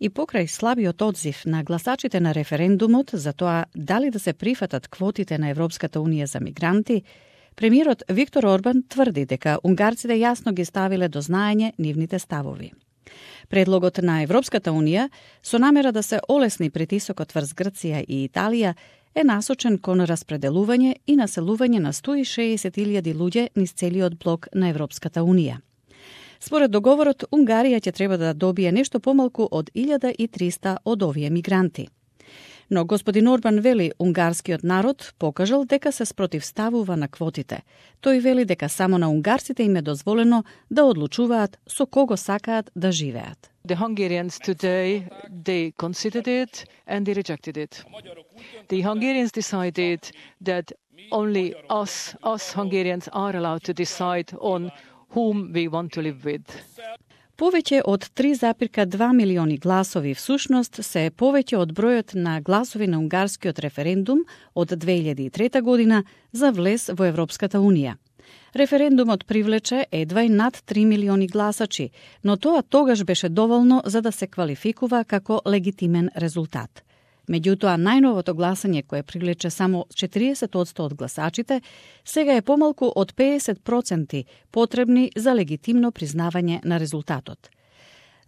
И покрај слабиот одзив на гласачите на референдумот за тоа дали да се прифатат квотите на Европската унија за мигранти, премиерот Виктор Орбан тврди дека унгарците јасно ги ставиле до знаење нивните ставови. Предлогот на Европската унија, со намера да се олесни притисокот врз Грција и Италија, е насочен кон распределување и населување на 160.000 луѓе низ целиот блок на Европската унија. Според договорот, Унгарија ќе треба да добие нешто помалку од 1300 од овие мигранти. Но господин Орбан вели унгарскиот народ покажал дека се спротивставува на квотите. Тој вели дека само на унгарците им е дозволено да одлучуваат со кого сакаат да живеат. The Hungarians today, they considered it and they rejected it. The Hungarians decided that only us Hungarians are allowed to decide on whom we want to live with. Повеќе од 3,2 милиони гласови всушност се повеќе од бројот на гласови на унгарскиот референдум од 2003 година за влез во Европската унија. Референдумот привлече едва и над 3 милиони гласачи, но тоа тогаш беше доволно за да се квалификува како легитимен резултат. Меѓутоа, најновото гласање кое привлече само 40% од гласачите, сега е помалку од 50% потребни за легитимно признавање на резултатот.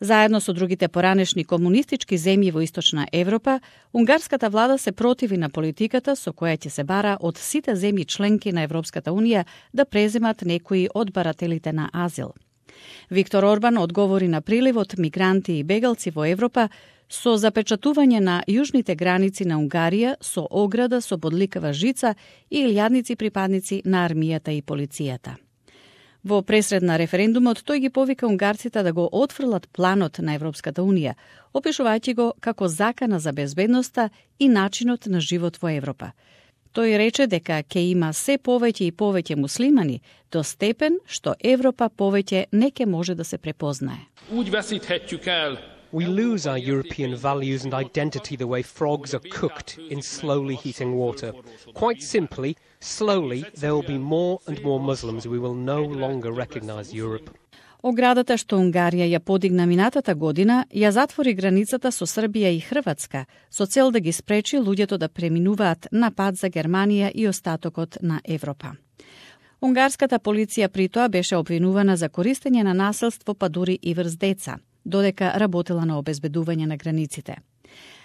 Заедно со другите поранешни комунистички земји во Источна Европа, унгарската влада се противи на политиката со која ќе се бара од сите земји членки на Европската унија да преземат некои од барателите на азил. Виктор Орбан одговори на приливот мигранти и бегалци во Европа со запечатување на јужните граници на Унгарија со ограда со бодликава жица и илјадници припадници на армијата и полицијата. Во пресред на референдумот тој ги повика унгарците да го отфрлат планот на Европската унија, опишувајќи го како закана за безбедноста и начинот на живот во Европа. Тој рече дека ќе има се повеќе и повеќе муслимани до степен што Европа повеќе не ќе може да се препознае. We lose our European values and identity the way frogs are cooked in slowly heating water. Quite simply, slowly, there will be more and more Muslims. We will no longer recognize Europe. Оградата што Унгарија ја подигна минатата година, ја затвори границата со Србија и Хрватска, со цел да ги спречи луѓето да преминуваат на пат за Германија и остатокот на Европа. Унгарската полиција при тоа беше обвинувана за користење на насилство, па дури и врз деца, додека работела на обезбедување на границите.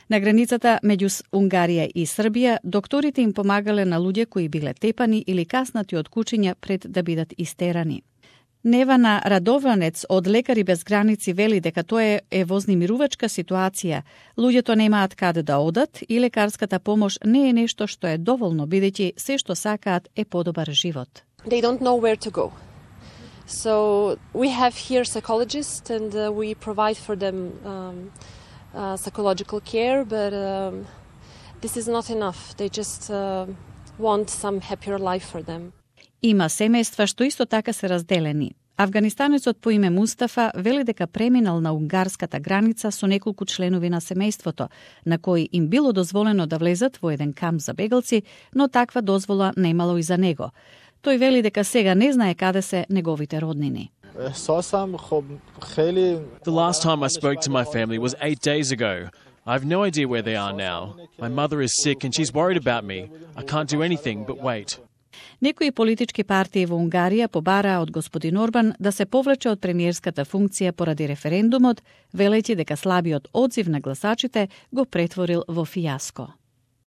На границата меѓу Унгарија и Србија, докторите им помагале на луѓе кои биле тепани или каснати од кучиња пред да бидат истерани. Невана Радованец од Лекари без граници вели дека тоа е вознемирувачка ситуација, луѓето немаат каде да одат и лекарската помош не е нешто што е доволно, бидејќи се што сакаат е подобар живот. They don't know where to go. So we have here psychologists and we provide for them psychological care, but this is not enough. They just want some happier life for them. Има семејства што исто така се разделени. Афганистанецот по име Мустафа вели дека преминал на унгарската граница со неколку членови на семејството, на кои им било дозволено да влезат во еден камп за бегалци, но таква дозвола немало и за него. Тој вели дека сега не знае каде се неговите роднини. The last time I spoke to my family was 8 days ago. I have no idea where they are now. My mother is sick and she's worried about me. I can't do anything but wait. Некои политички партии во Унгарија побараа од господин Орбан да се повлече од премиерската функција поради референдумот, велејќи дека слабиот одзив на гласачите го претворил во фијаско.